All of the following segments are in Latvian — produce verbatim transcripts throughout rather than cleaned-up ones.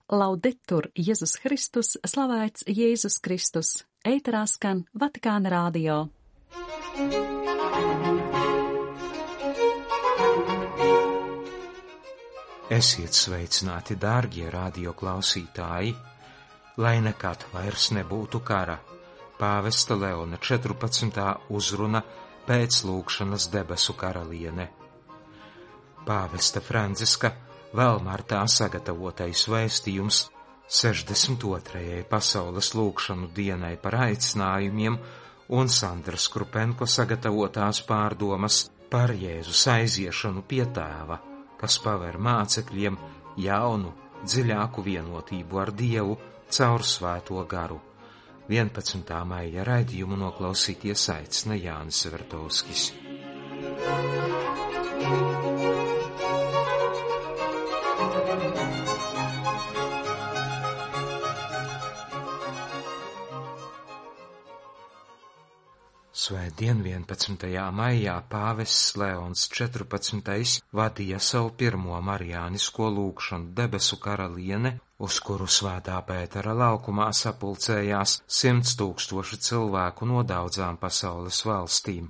Laudetur Jēzus Kristus, slavēts Jēzus Kristus. Ēterā skan Vatikāna radio. Esiet sveicināti, dārgie radio klausītāji, lai nekad vairs nebūtu kara. Pāvesta Leona četrpadsmitā uzruna pēc lūgšanas debesu karaliene. Pāvesta Franciska vēl martā sagatavotais vēstījums sešdesmit otrajai pasaules lūgšanu dienai par aicinājumiem un Sandras Krupenko sagatavotās pārdomas par Jēzus aiziešanu pie Tēva, kas paver mācekļiem jaunu, dziļāku vienotību ar Dievu caur Svēto garu. vienpadsmitā maija raidījumu noklausīties aicina Jānis Vertovskis. Svētdien vienpadsmitajā maijā pāvests Leons četrpadsmitais vadīja savu pirmo marijānisko lūgšanu debesu karaliene, uz kuru Svētā Pētera laukumā sapulcējās simts tūkstoši cilvēku no daudzām pasaules valstīm.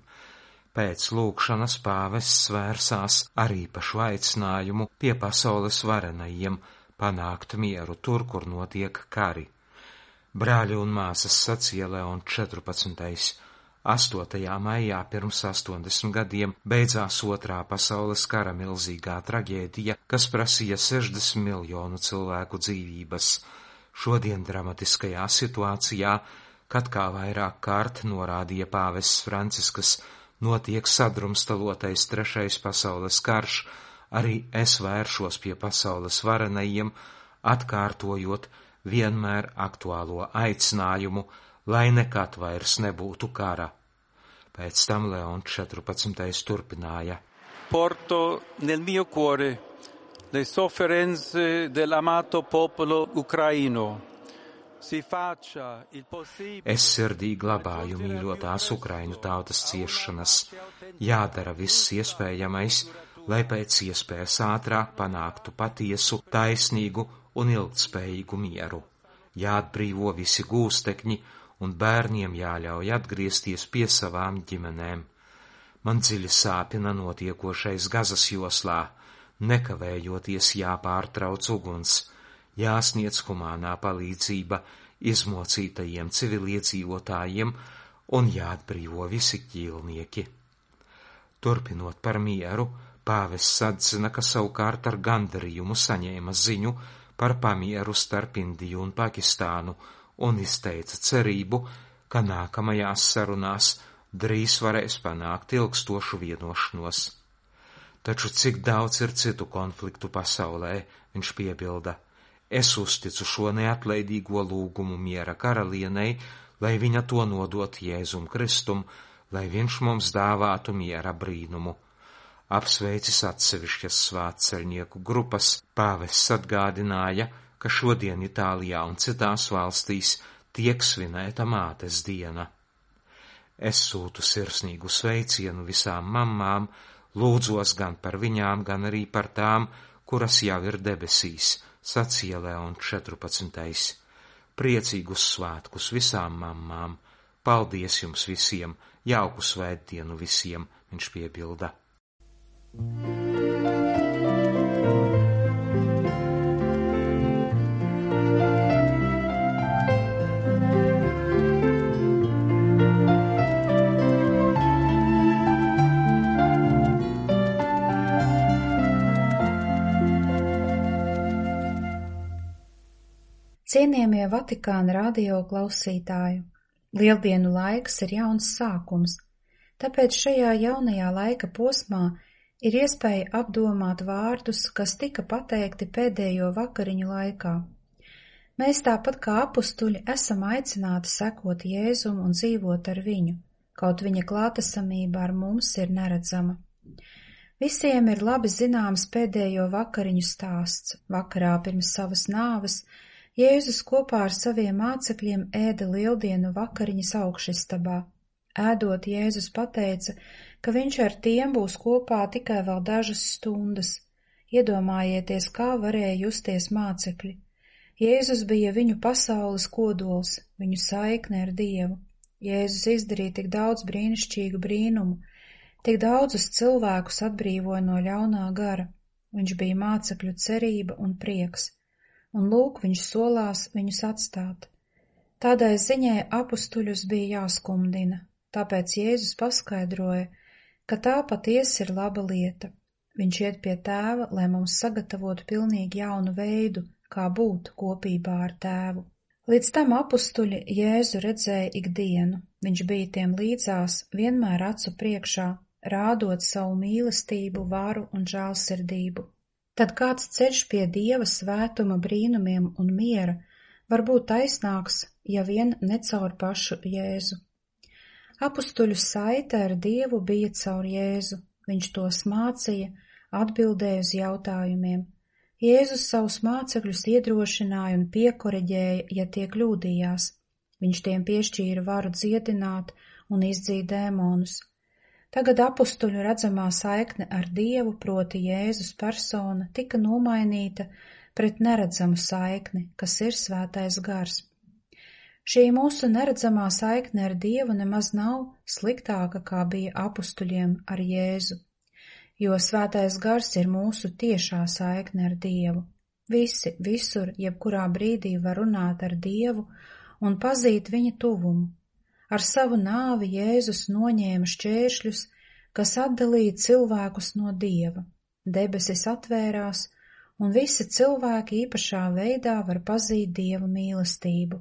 Pēc lūgšanas pāvests vērsās ar īpašu aicinājumu pie pasaules varenajiem panākt mieru tur, kur notiek kari. Brāļi un māsas, sacīja Leons četrpadsmitais, astotajā maijā pirms astoņdesmit gadiem beidzās otrā pasaules kara milzīgā traģēdija, kas prasīja sešdesmit miljonu cilvēku dzīvības. Šodien dramatiskajā situācijā, kad kā vairāk kārt norādīja pāvests Franciskas, notiek sadrumstalotais trešais pasaules karš, arī es vēršos pie pasaules varenajiem, atkārtojot vienmēr aktuālo aicinājumu, lai nekad vairs nebūtu kara. Pēc tam Leons četrpadsmitais turpināja. Porto nel mio cuore le sofferenze dell'amato popolo ucraino. Si faccia il possibile. Es sirdī glabāju mīļotās Ukraiņu tautas ciešanas. Jādara viss iespējamais, lai pēc iespējas ātrāk panāktu patiesu, taisnīgu un ilgtspējīgu mieru. Jāatbrīvo visi gūstekņi, un bērniem jāļauj atgriezties pie savām ģimenēm. Man dziļi sāpina notiekošais Gazas joslā, nekavējoties jāpārtrauc uguns, jāsniedz humānā palīdzība izmocītajiem civiliedzīvotājiem un jāatbrīvo visi ķīlnieki. Turpinot par mieru, pāvests atzina, ka savukārt ar gandarījumu saņēma ziņu par pamieru starp Indiju un Pakistānu, un izteica cerību, ka nākamajās sarunās drīz varēs panākt ilgstošu vienošanos. Taču cik daudz ir citu konfliktu pasaulē, viņš piebilda. Es uzticu šo neatlaidīgo lūgumu miera karalienei, lai viņa to nodot Jēzum Kristum, lai viņš mums dāvātu miera brīnumu. Apsveicis atsevišķas svētceļnieku grupas, pāvests atgādināja, ka šodien Itālijā un citās valstīs tiek svinēta mātes diena. Es sūtu sirsnīgu sveicienu visām mammām, lūdzos gan par viņām, gan arī par tām, kuras jau ir debesīs, sacīja Leons četrpadsmitais. Priecīgus svētkus visām mammām, paldies jums visiem, jauku svētdienu visiem, viņš piebilda. Cienījamie Vatikāna radio klausītāji, Lieldienu laiks ir jauns sākums, tāpēc šajā jaunajā laika posmā ir iespēja apdomāt vārdus, kas tika pateikti pēdējo vakariņu laikā. Mēs tāpat kā apustuļi esam aicināti sekot Jēzum un dzīvot ar viņu, kaut viņa klātesamība ar mums ir neredzama. Visiem ir labi zināms pēdējo vakariņu stāsts. Vakarā pirms savas nāves Jēzus kopā ar saviem mācekļiem ēda lieldienu vakariņas augšistabā. Ēdot, Jēzus pateica, ka viņš ar tiem būs kopā tikai vēl dažas stundas. Iedomājieties, kā varēja justies mācekļi. Jēzus bija viņu pasaules kodols, viņu saikne ar Dievu. Jēzus izdarīja tik daudz brīnišķīgu brīnumu, tik daudzus cilvēkus atbrīvoja no ļaunā gara. Viņš bija mācekļu cerība un prieks, un lūk, viņš solās viņus atstāt. Tādai ziņai apustuļus bija jāskumdina, tāpēc Jēzus paskaidroja, ka tā patiesi ir laba lieta. Viņš iet pie Tēva, lai mums sagatavotu pilnīgi jaunu veidu, kā būt kopībā ar Tēvu. Līdz tam apustuļi Jēzu redzēja ikdienu, viņš bija tiem līdzās, vienmēr acu priekšā, rādot savu mīlestību, varu un žēlsirdību. Tad kāds ceļš pie Dieva svētuma, brīnumiem un miera var būt taisnāks, ja vien ne caur pašu Jēzu. Apustuļu saite ar Dievu bija caur Jēzu, viņš tos mācīja, atbildēja uz jautājumiem. Jēzus savus mācekļus iedrošināja un piekoreģēja, ja tie kļūdījās. Viņš tiem piešķīra varu dziedināt un izdzīt dēmonus. Tagad apustuļu redzamā saikne ar Dievu, proti Jēzus persona, tika nomainīta pret neredzamu saikni, kas ir svētais gars. Šī mūsu neredzamā saikne ar Dievu nemaz nav sliktāka, kā bija apustuļiem ar Jēzu, jo svētais gars ir mūsu tiešā saikne ar Dievu. Visi, visur, jebkurā brīdī var runāt ar Dievu un pazīt viņa tuvumu. Ar savu nāvi Jēzus noņēma šķēršļus, kas atdalīja cilvēkus no Dieva. Debesis atvērās, un visi cilvēki īpašā veidā var pazīt Dieva mīlestību.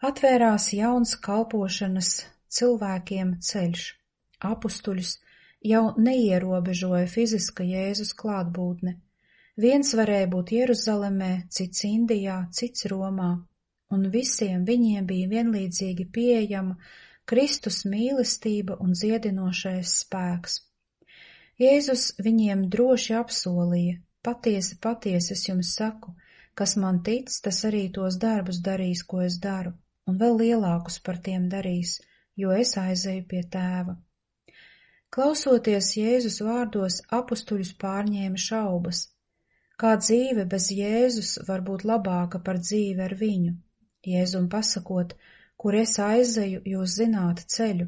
Atvērās jauns kalpošanas cilvēkiem ceļš. Apustuļus jau neierobežoja fiziska Jēzus klātbūtne. Viens varēja būt Jeruzalemē, cits Indijā, cits Romā, un visiem viņiem bija vienlīdzīgi pieejama Kristus mīlestība un dziedinošais spēks. Jēzus viņiem droši apsolīja: patiesi, patiesi es jums saku, kas man tic, tas arī tos darbus darīs, ko es daru, un vēl lielākus par tiem darīs, jo es aizeju pie Tēva. Klausoties Jēzus vārdos, apustuļus pārņēma šaubas. Kā dzīve bez Jēzus var būt labāka par dzīvi ar viņu? Jēzum pasakot: kur es aizeju, jūs zināt ceļu.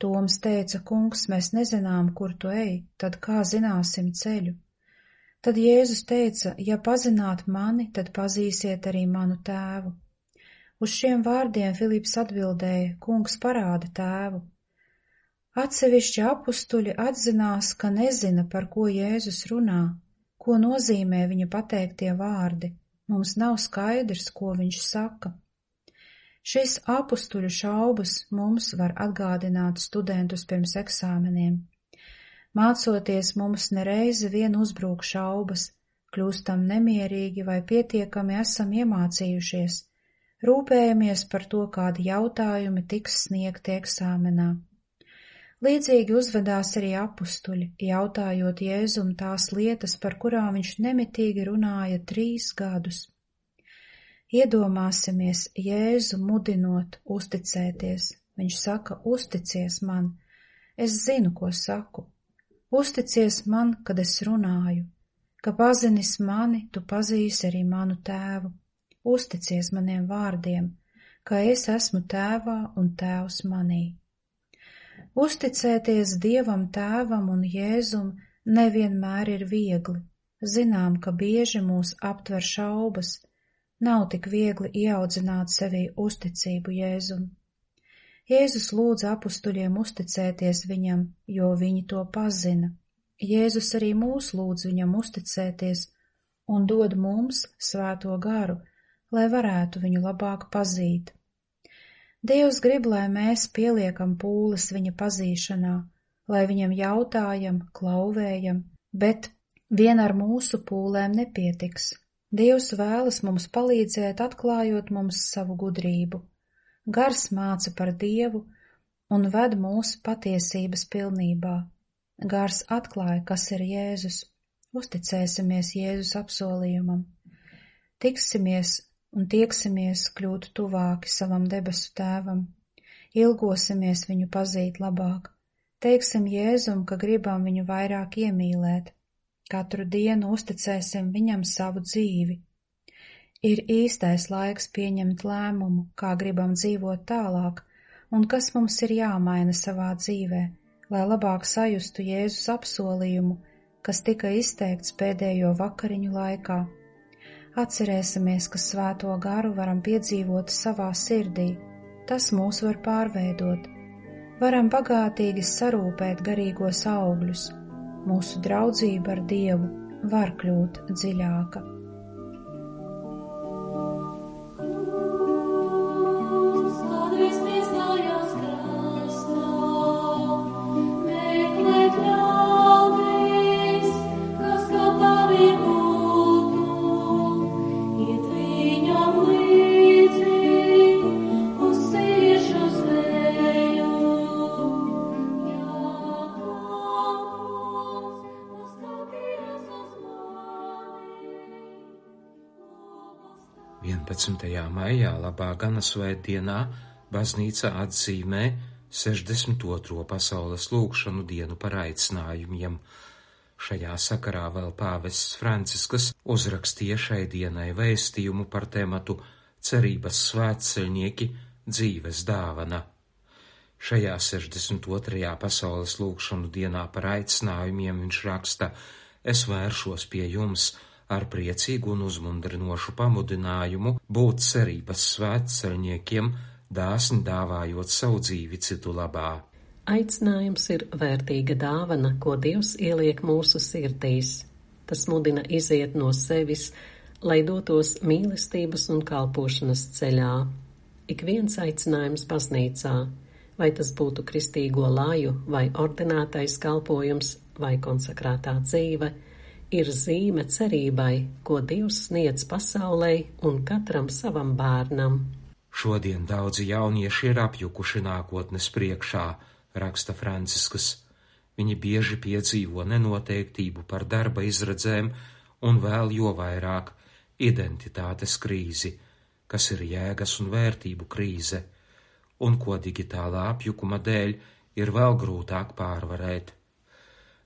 Toms teica: kungs, mēs nezinām, kur tu ej, tad kā zināsim ceļu? Tad Jēzus teica: ja pazināt mani, tad pazīsiet arī manu Tēvu. Uz šiem vārdiem Filips atbildēja: kungs, parāda Tēvu. Atsevišķi apustuļi atzinās, ka nezina, par ko Jēzus runā, ko nozīmē viņa pateiktie vārdi. Mums nav skaidrs, ko viņš saka. Šis apustuļu šaubas mums var atgādināt studentus pirms eksāmeniem. Mācoties, mums nereizi vien uzbrūk šaubas, kļūstam nemierīgi vai pietiekami esam iemācījušies, rūpējamies par to, kādi jautājumi tiks sniegti eksāmenā. Līdzīgi uzvedās arī apustuļi, jautājot Jēzum tās lietas, par kurām viņš nemitīgi runāja trīs gadus. Iedomāsimies Jēzu mudinot uzticēties. Viņš saka: uzticies man, es zinu, ko saku. Uzticies man, kad es runāju, ka pazinis mani, tu pazīsi arī manu Tēvu. Uzticies maniem vārdiem, ka es esmu Tēvā un Tēvs manī. Uzticēties Dievam Tēvam un Jēzum nevienmēr ir viegli. Zinām, ka bieži mūs aptver šaubas. Nav tik viegli ieaudzināt sevī uzticību Jēzum. Jēzus lūdza apustuļiem uzticēties viņam, jo viņi to pazina. Jēzus arī mūs lūdz viņam uzticēties un dod mums svēto garu, lai varētu viņu labāk pazīt. Dievs grib, lai mēs pieliekam pūles viņa pazīšanā, lai viņam jautājam, klauvējam, bet vien ar mūsu pūlēm nepietiks. Dievs vēlas mums palīdzēt, atklājot mums savu gudrību. Gars māca par Dievu un ved mūs patiesības pilnībā. Gars atklāja, kas ir Jēzus. Uzticēsimies Jēzus apsolījumam. Tiksimies un tieksimies kļūt tuvāki savam debesu Tēvam. Ilgosimies viņu pazīt labāk. Teiksim Jēzum, ka gribam viņu vairāk iemīlēt. Katru dienu uzticēsim viņam savu dzīvi. Ir īstais laiks pieņemt lēmumu, kā gribam dzīvot tālāk, un kas mums ir jāmaina savā dzīvē, lai labāk sajustu Jēzus apsolījumu, kas tika izteikts pēdējo vakariņu laikā. Atcerēsimies, ka svēto garu varam piedzīvot savā sirdī, tas mūs var pārveidot. Varam bagātīgi sarūpēt garīgos augļus, mūsu draudzība ar Dievu var kļūt dziļāka. vienpadsmitajā maijā labā gana svētdienā baznīca atzīmē sešdesmit otro pasaules lūgšanu dienu par aicinājumiem. Šajā sakarā vēl pāvests Francisks uzrakstīja šai dienai vēstījumu par tematu cerības svētceļnieki dzīves dāvana. Šajā sešdesmit otrajā pasaules lūgšanu dienā par aicinājumiem viņš raksta: Es vēršos pie jums ar priecīgu un uzmundrinošu pamudinājumu būt cerības svētceļniekiem, dāsni dāvājot savu dzīvi citu labā. Aicinājums ir vērtīga dāvana, ko Dievs ieliek mūsu sirdīs. Tas mudina iziet no sevis, lai dotos mīlestības un kalpošanas ceļā. Ik viens aicinājums baznīcā, vai tas būtu kristīgo laju, vai ordinētais kalpojums, vai konsekrētā dzīve, ir zīme cerībai, ko Dievs sniedz pasaulei un katram savam bērnam. Šodien daudzi jaunieši ir apjukuši nākotnes priekšā, raksta Francisks. Viņi bieži piedzīvo nenoteiktību par darba izredzēm un vēl jo vairāk identitātes krīzi, kas ir jēgas un vērtību krīze, un ko digitālā apjukuma dēļ ir vēl grūtāk pārvarēt.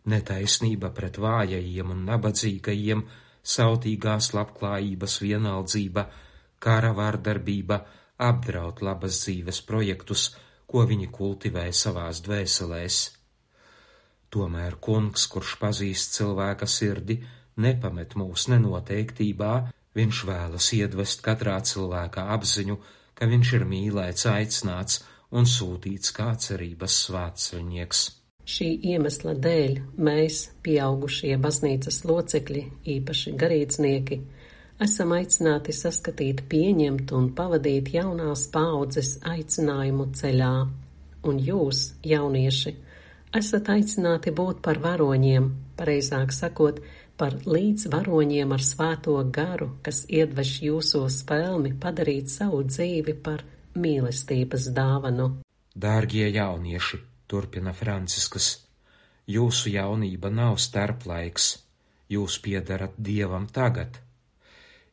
Netaisnība pret vājajiem un nabadzīgajiem, sautīgās labklājības vienaldzība, kara vardarbība apdraud labas dzīves projektus, ko viņi kultivē savās dvēselēs. Tomēr Kungs, kurš pazīst cilvēka sirdi, nepamet mūs nenoteiktībā, viņš vēlas iedvest katrā cilvēka apziņu, ka viņš ir mīlēts, aicināts un sūtīts kā cerības svētceļnieks. Šī iemesla dēļ mēs, pieaugušie baznīcas locekļi, īpaši garīdznieki, esam aicināti saskatīt, pieņemt un pavadīt jaunās paaudzes aicinājumu ceļā. Un jūs, jaunieši, esat aicināti būt par varoņiem, pareizāk sakot, par līdzvaroņiem ar svēto garu, kas iedveš jūsos spēlmi padarīt savu dzīvi par mīlestības dāvanu. Dārgie jaunieši, turpina Francisks, jūsu jaunība nav starplaiks, jūs piedarat Dievam tagad.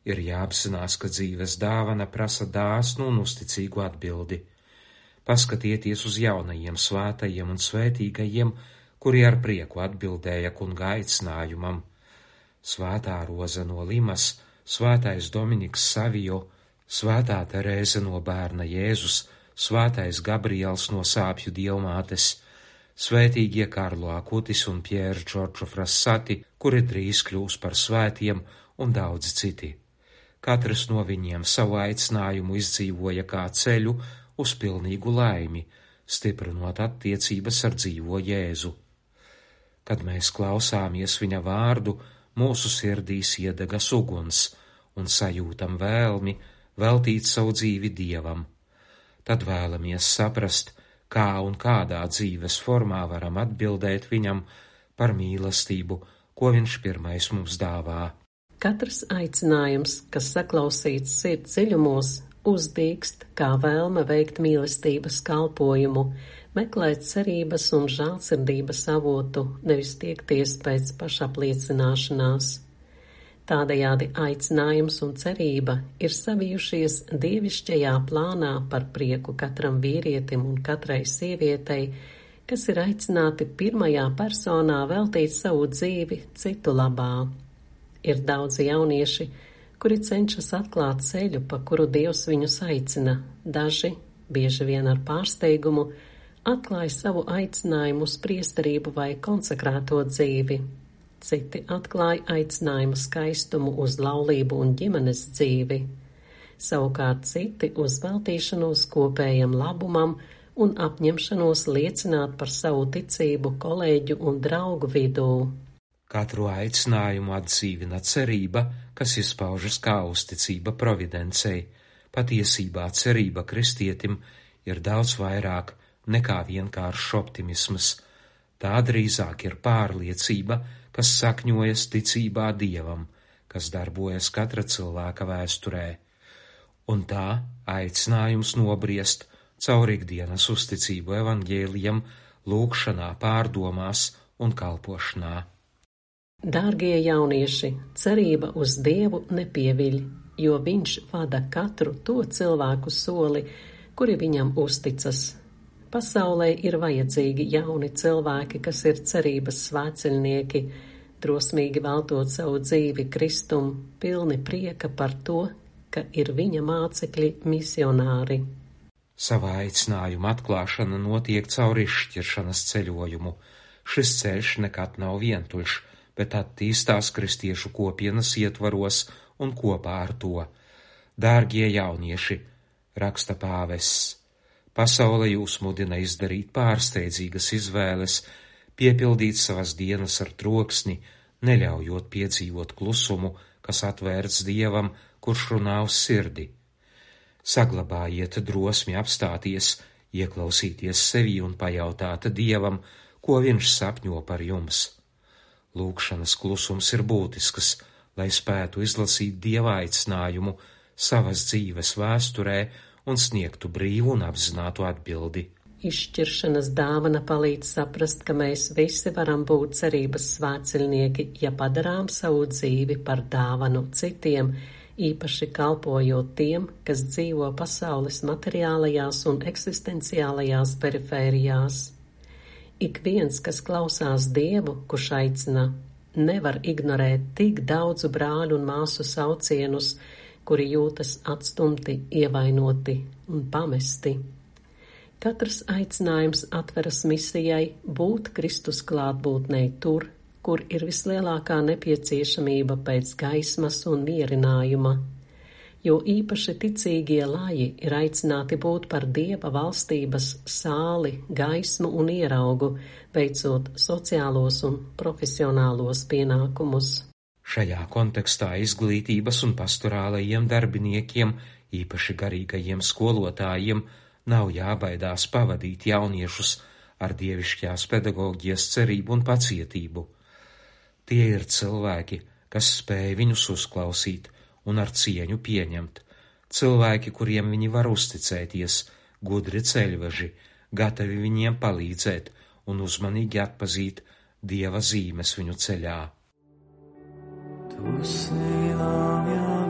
Ir jāapzinās, ka dzīves dāvana prasa dāsnu un uzticīgu atbildi. Paskatieties uz jaunajiem svētajiem un svētīgajiem, kuri ar prieku atbildēja kunga aicinājumam. Svētā Roza no Limas, svētais Dominiks Savio, svētā Terēze no Bērna Jēzus, svētais Gabriels no Sāpju dievmātes, svētīgie Karlo Akutis un Pier Giorgio Frassati, kuri drīz kļūs par svētiem, un daudzi citi. Katrs no viņiem savu aicinājumu izdzīvoja kā ceļu uz pilnīgu laimi, stiprinot attiecības ar dzīvo Jēzu. Kad mēs klausāmies viņa vārdu, mūsu sirdīs iedegas uguns un sajūtam vēlmi veltīt savu dzīvi Dievam. Tad vēlamies saprast, kā un kādā dzīves formā varam atbildēt viņam par mīlestību, ko viņš pirmais mums dāvā. Katrs aicinājums, kas saklausīts sirds dziļumos, uzdīkst kā vēlme veikt mīlestības kalpojumu, meklēt cerības un žēlsirdības avotu, nevis tiekties pēc pašapliecināšanās. Tādējādi aicinājums un cerība ir savijušies dievišķajā plānā par prieku katram vīrietim un katrai sievietei, kas ir aicināti pirmajā personā veltīt savu dzīvi citu labā. Ir daudzi jaunieši, kuri cenšas atklāt ceļu, pa kuru Dievs viņus aicina. Daži, bieži vien ar pārsteigumu, atklāja savu aicinājumu uz priesterību vai konsekrēto dzīvi. Citi atklāja aicinājumu skaistumu uz laulību un ģimenes dzīvi. Savukārt citi uz veltīšanos kopējam labumam un apņemšanos liecināt par savu ticību kolēģu un draugu vidū. Katru aicinājumu atdzīvina cerība, kas izpaužas kā uzticība providencei. Patiesībā cerība kristietim ir daudz vairāk nekā vienkāršs optimisms. Tā drīzāk ir pārliecība, kas sakņojas ticībā Dievam, kas darbojas katra cilvēka vēsturē. Un tā aicinājums nobriest caur ikdienas uzticību evaņģēlijam, lūgšanā, pārdomās un kalpošanā. Dārgie jaunieši, cerība uz Dievu nepieviļ, jo Viņš vada katru to cilvēku soli, kuri viņam uzticas. Pasaulē ir vajadzīgi jauni cilvēki, kas ir cerības svētceļnieki, drosmīgi veltot savu dzīvi Kristum, pilni prieka par to, ka ir viņa mācekļi misionāri. Savā aicinājuma atklāšana notiek caur izšķiršanas ceļojumu. Šis ceļš nekad nav vientuļš, bet attīstās kristiešu kopienas ietvaros un kopā ar to. Dārgie jaunieši, raksta pāvests, pasaule jūs mudina izdarīt pārsteidzīgas izvēles, piepildīt savas dienas ar troksni, neļaujot piedzīvot klusumu, kas atvērts Dievam, kurš runā uz sirdi. Saglabājiet drosmi apstāties, ieklausīties sevī un pajautāt Dievam, ko viņš sapņo par jums. Lūgšanas klusums ir būtisks, lai spētu izlasīt Dieva aicinājumu savas dzīves vēsturē un sniegtu brīvu un apzinātu atbildi. Izšķiršanas dāvana palīdz saprast, ka mēs visi varam būt cerības svētceļnieki, ja padarām savu dzīvi par dāvanu citiem, īpaši kalpojot tiem, kas dzīvo pasaules materiālajās un eksistenciālajās perifērijās. Ik viens, kas klausās Dievu, kurš aicina, nevar ignorēt tik daudzu brāļu un māsu saucienus, kuri jūtas atstumti, ievainoti un pamesti. Katrs aicinājums atveras misijai būt Kristus klātbūtnei tur, kur ir vislielākā nepieciešamība pēc gaismas un mierinājuma, jo īpaši ticīgie laji ir aicināti būt par Dieva valstības sāli, gaismu un ieraugu, veicot sociālos un profesionālos pienākumus. Šajā kontekstā izglītības un pastorālajiem darbiniekiem, īpaši garīgajiem skolotājiem, nav jābaidās pavadīt jauniešus ar dievišķās pedagoģijas cerību un pacietību. Tie ir cilvēki, kas spēj viņus uzklausīt un ar cieņu pieņemt, cilvēki, kuriem viņi var uzticēties, gudri ceļveži, gatavi viņiem palīdzēt un uzmanīgi atpazīt Dieva zīmes viņu ceļā. Tu esi la mia